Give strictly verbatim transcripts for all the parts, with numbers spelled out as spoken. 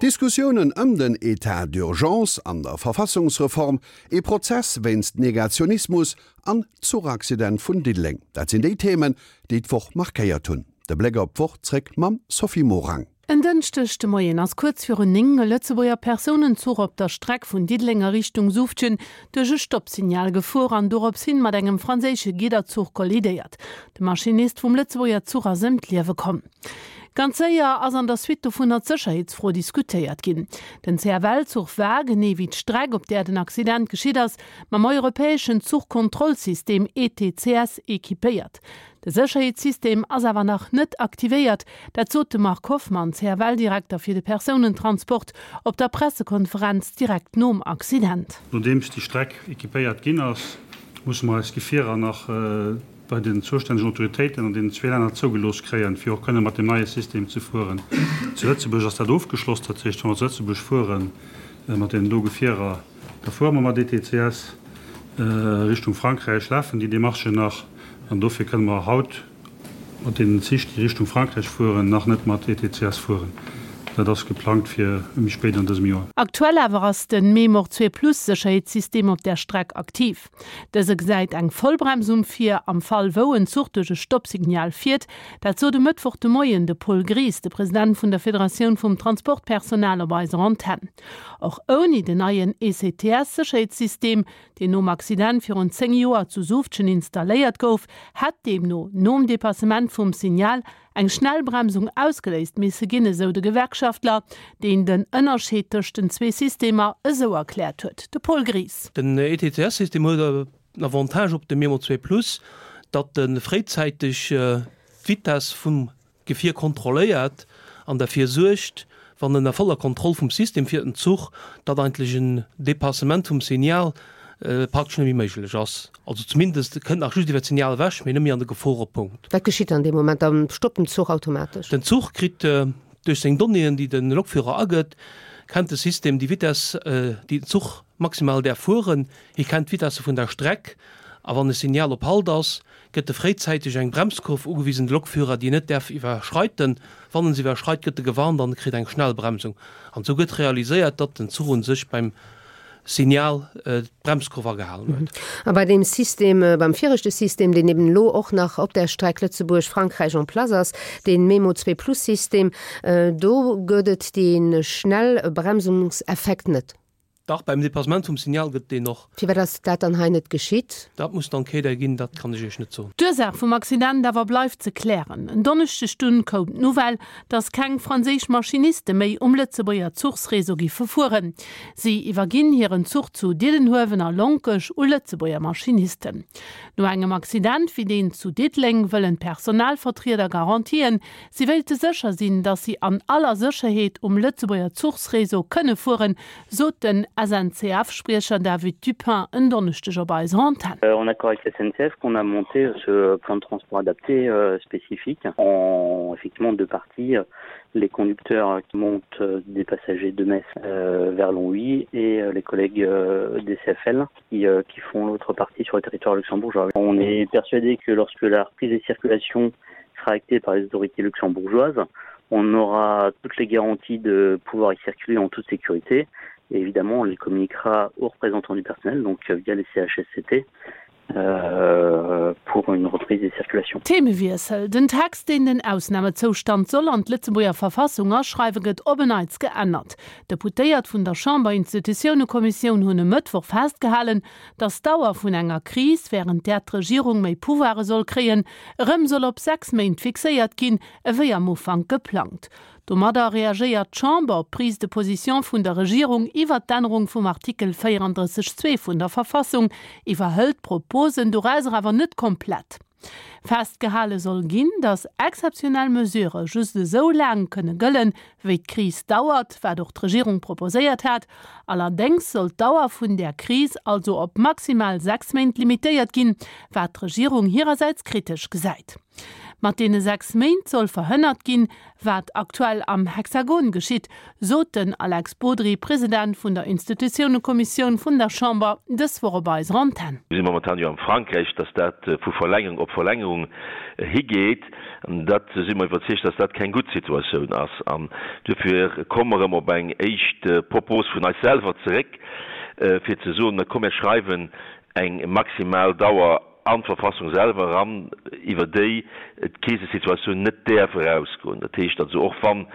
Diskussiounen ëm den Etat d'urgence an der Verfassungsreform, ee Prozess wéinst Negationismus an d'Zuchaccident vun Diddeleng, dat sinn déi Themen, déi d'Woch markéiert hunn. De Bléck op d'Woch zréck mam Sophie Morang. En Dënschdeg de Moien ass kuerz virun néng e Lëtzebuerger Persounenzuch op der Streck vun Diddeleng a Richtung Suuftgen duerch e Stoppsignal gefuer an dorops hin mat engem franséische Gidderzuch kollidéiert. De Maschinist vum Lëtzebuerger Zuch ass ëm d'Liewe komm. Ganz séier ass an der Suite dovunner d'Sécherheetsfro diskutéiert ginn. Den C F L-Zuch war, genee wéi d'Streck, op där den Accident geschitt ass, mam europäeschen Zuchkontrollsystem E T C S equipéiert. De Sécherheetssystem ass awer nach net aktivéiert, dat sot de Marc Hoffmann, C F L-Direkter fir de Persounentransport, op der Pressekonferenz direkt nom Accident. Nodeems déi Streck equipéiert ginn ass, musse mer eis Gefierer nach bei den zoustännegen Autoritéiten an deenen zwee Länner zougelooss kréien, fir och kënne mat deem neie System ze fueren. Zu Lëtzebuerg ass dat ofgeschloss, dat heescht, wa mer zu Lëtzebuerg fuere mat deenen do Gefierer, da fuere mer mat E T C S. Richtung Frankräich lafen déi Demarchen nach an dofir kënne mer haut mat deenen Zich, déi Richtung Frankräich fueren, nach net mat E T C S fueren. Dat ass geplangt fir méi spéit an dësem Joer. Aktuell awer ass de Memor zwee Plus Sécherheetssystem op der Streck aktiv. Dëse gesäit eng Vollbremsung vir am Fall wou en Zuch duerch e Stoppsignal fiert. Dat sot e Mëttwoch de Moien de Paul Gries, de President vun der Federatioun vum Transportpersonal op eiser Antenn. Och ouni den neien E C T S-Sécherheetssystem, deen nom Accident virun zéng Joer zu Suuftgen installéiert gouf, hätt deemno nom Depassement vum Signal eng Schnellbremsung ausgeléist misse ginn, esou de Gewerkschaftler, deen den Ënnerscheed tëscht den zwee Systemer esou erkläert huet. De Paul Gries. Den E T C S-System huet en Avantage op de Memo zwee Plus, datt e fréizäiteg d'Vitess vum Gefier kontrolléiert an derfir suergt, wann en a voller Kontroll vum System fiert den Zuch, datt eigentlech en Depassement vum Signal praktesch net méi méiglech ass. Also zumindest e kënnt nach just iwwer d'Signal ewech, mee net méi an de Geforepunkt. Wat geschitt dann dee Moment? Dann stoppt den Zuch automatesch? Den Zuch kritt duerch seng Donnéeën, déi de Lokführer agëtt, kennt de System déi Vitess, déi den Zuch maximal däerf fueren. Hie kennt d'Vitesse vun der Streck a wann e Signal op Halt ass, gëtt e fréizäiteg eng Bremskurv ugewisen, de Lokführer, déi en net däerf iwwerschreiten. Wann en se iwwerschreit, gëtt e gewarnt an e kritt eng Schnellbremsung. An esou gëtt realiséiert, datt den Zuch u sech beim Signal d'Bremskurv agehalen huet. A bei deem System, beim viregte System, deen eben elo och nach op der Streck Lëtzebuerg-Frankräich en place ass, dee Memo zwee Plus System, do gëtt et dee Schnellbremsungseffekt net? Dach, beim Dépassement vum Signal gëtt deen och. Firwat ass dat dann hei net geschitt? Dat muss d'Enquête erginn, dat kann ech Iech net soen. D'Ursaach vum Accident awer bleift ze klären. En Donneschdeg dunn koum d'Nouvelle, datt keng franséisch Maschiniste méi um Lëtzebuerger Zuchsreseau giffe fueren. Si iwwerginn hiren Zuch zu Diddenhuewen a Lonkech u Lëtzebuerger Maschinisten. No engem Accident wéi deen zu Diddeleng wëllen d'Personalvertrieder Garantien. Si wéilte sécher sinn, datt si an aller Sécherheet um Lëtzebuerger Zuchsreseau kënne fueren, sot den S N C F-Spriecher David Dupin en Donneschdeg op eiser Antenn. En accord avec la S N C F qu'on a monté ce plan de transport adapté euh, spécifique en effectivement deux parties, les conducteurs qui montent des passagers de Metz euh, vers Longwy et les collègues euh, des C F L qui, euh, qui font l'autre partie sur le territoire luxembourgeois. On est persuadé que lorsque la reprise des circulations sera actée par les autorités luxembourgeoises, on aura toutes les garanties de pouvoir y circuler en toute sécurité et évidemment on les communiquera aux représentants du personnel, donc via les C H S C T, euh, pour une reprise des circulations. Themewiessel, Den Text, deen den Ausnamezoustand soll an d'Lëtzebuerger Verfassung aschreiwen, gëtt op en Neits geännert. Deputéiert vun der Chamberinstitutiounekommissioun hunn e Mëttwoch festgehalen, datt d'Dauer vun enger Kris, wärend där d'Regierung méi Pouvoire soll kréien, erëm soll op sechs Méint fixéiert ginn, ewéi am Ufank geplangt. Domadder reagéiert d'Chamber op d'Prise de position vun der Regierung iwwert d'Ännerung vum Artikel véierandrësseg zwee vun der Verfassung, iwwerhëlt d'Proposen dorauser awer net komplett. Festgehale soll ginn, datt exzeptionell Mesurë just esou laang kënne gëllen, wéi d'Kris dauert, wat och d'Regierung proposéiert hat. Allerdéngs soll d'Dauer vun där Kris also op maximal sechs Méint limitéiert ginn, wat d'Regierung hirersäits kritesch gesäit. Mat deene sechs Méint soll verhënnert ginn, wat aktuell am Hexagon geschitt, sot den Alex Bodry, President vun der Institutiounekommissioun vun der Chamber, dës Woch op eiser Antenn. Mir si momentan jo am Frankräich, dass dat vu Verlängerung op Verlängerung higeet. Dat si mer iwwerzeegt, dass dat keng gutt Situatioun ass. An duerfir komme mer erëm op eng éischt Propos vun eis selwer zeréck, fir ze soen, Na komm, mir schreiwen eng maximal Dauer an d'Verfassung selwer eran, iwwer déi d'Krisesituatioun net däerf erausgoen. Dat heescht also, och wann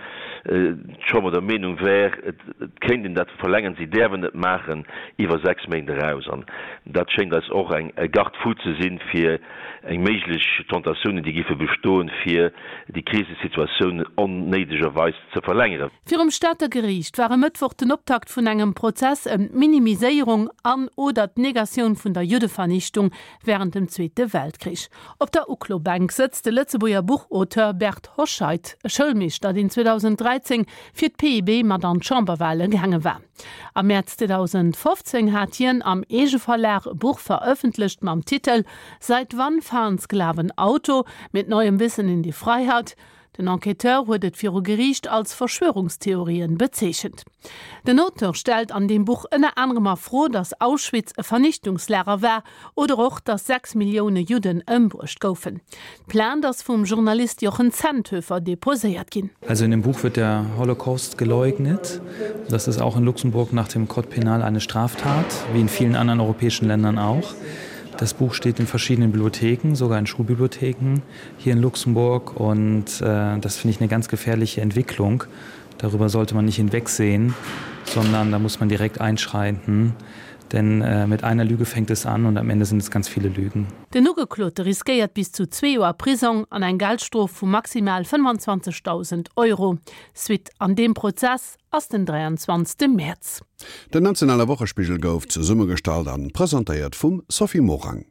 d'Chamber der Meenung wär, et kéint een dat verlängeren, si däerf et net maachen iwwer sechs Méint eraus. An dat schéngt eis och eng Garde-fou ze sinn, fir eng méiglech Tentatiounen, déi géife bestoen, fir déi Krisesituatioun onnéidegerweis ze verlängeren. Virum Stater Geriicht war e Mëttwoch den Optakt vun engem Prozess ëm d'Minimiséierung an oder d'Negatioun vun der Juddevernichtung wärend dem Zweete Weltkrich. Op der Uklobänk sëtzt de Lëtzebuerger Buchauteur Bert Hoscheit, e Schoulmeeschter, deen zweedausend dräizéng fir d'P I B mat an d'Chamberwale gaange war. Am Mäerz zweedausendfofzéng hat hien am Eegeverlag e Buch verëffentlecht mam Titel Seit wann fahren Sklaven Auto? Mit neuem Wissen in die Freiheit. Den Enquêteur huet et viru Geriicht als Verschwörungstheorien bezeechent. Den Auteur stellt an deem Buch ënner anerem a Fro, datt Auschwitz e Vernichtungslager war oder och, datt sechs Millioune Judden ëmbruecht goufen. D'Plainte ass vum Journalist Jochen Zenthöfer deposéiert ginn. Also in dem Buch wird der Holocaust geleugnet. Das ist auch in Luxemburg nach dem Code pénal eine Straftat, wie in vielen anderen europäischen Ländern auch. Das Buch steht in verschiedenen Bibliotheken, sogar in Schulbibliotheken hier in Luxemburg und äh, das finde ich eine ganz gefährliche Entwicklung. Darüber sollte man nicht hinwegsehen, sondern da muss man direkt einschreiten. Denn äh, mit einer Lüge fängt es an und am Ende sind es ganz viele Lügen. Den Ugeklote riskéiert bis zu zwee Joer Prisong an eng Geldstrof vu maximal fënnefanzwanzegdausend Euro. Suite an deem Prozess ass den dräianzwanzegste Mäerz. Den nationale Wochespigel gouf zesummegestallt an presentéiert vum Sophie Morang.